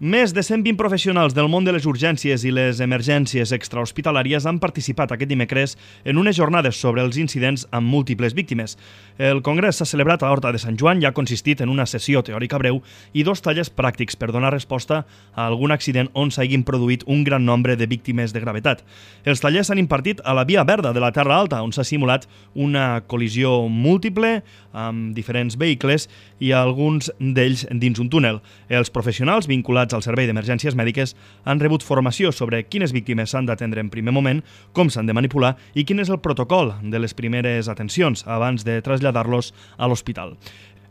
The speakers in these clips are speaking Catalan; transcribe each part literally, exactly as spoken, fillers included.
Més de cent vint professionals del món de les urgències i les emergències extrahospitalàries han participat aquest dimecres en unes jornades sobre els incidents amb múltiples víctimes. El congrés s'ha celebrat a l'Horta de Sant Joan i ha consistit en una sessió teòrica breu i dos tallers pràctics per donar resposta a algun accident on s'hagin produït un gran nombre de víctimes de gravetat. Els tallers s'han impartit a la Via Verda de la Terra Alta, on s'ha simulat una col·lisió múltiple amb diferents vehicles i alguns d'ells dins un túnel. Els professionals vinculats al Servei d'Emergències Mèdiques han rebut formació sobre quines víctimes s'han d'atendre en primer moment, com s'han de manipular i quin és el protocol de les primeres atencions abans de traslladar-los a l'hospital.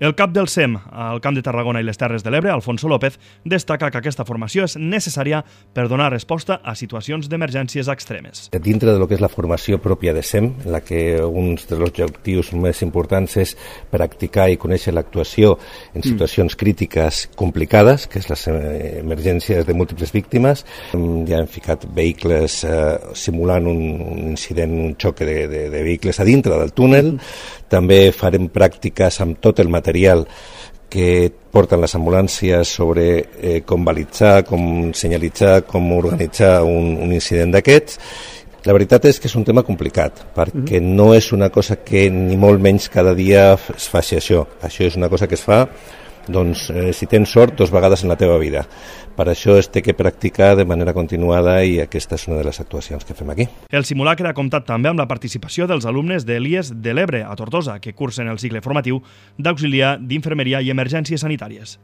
El cap del S E M al Camp de Tarragona i les Terres de l'Ebre, Alfonso López, destaca que aquesta formació és necessària per donar resposta a situacions d'emergències extremes. Dintre de lo que és la formació pròpia de S E M, en la que un dels objectius més importants és practicar i conèixer l'actuació en situacions crítiques complicades, que és les emergències de múltiples víctimes, ja hem ficat vehicles eh, simulant un, un incident, un xoc de, de, de vehicles a dintre del túnel. També farem pràctiques amb tot el material que porten les ambulàncies sobre eh, com balitzar, com senyalitzar, com organitzar un, un incident d'aquests. La veritat és que és un tema complicat, perquè no és una cosa que ni molt menys cada dia es faci això. Això és una cosa que es fa, doncs, eh, si tens sort, dos vegades en la teva vida. Per això es té que practicar de manera continuada i aquesta és una de les actuacions que fem aquí. El simulacre ha comptat també amb la participació dels alumnes de l'I E S de l'Ebre, a Tortosa, que cursen el cicle formatiu d'auxiliar d'infermeria i emergències sanitàries.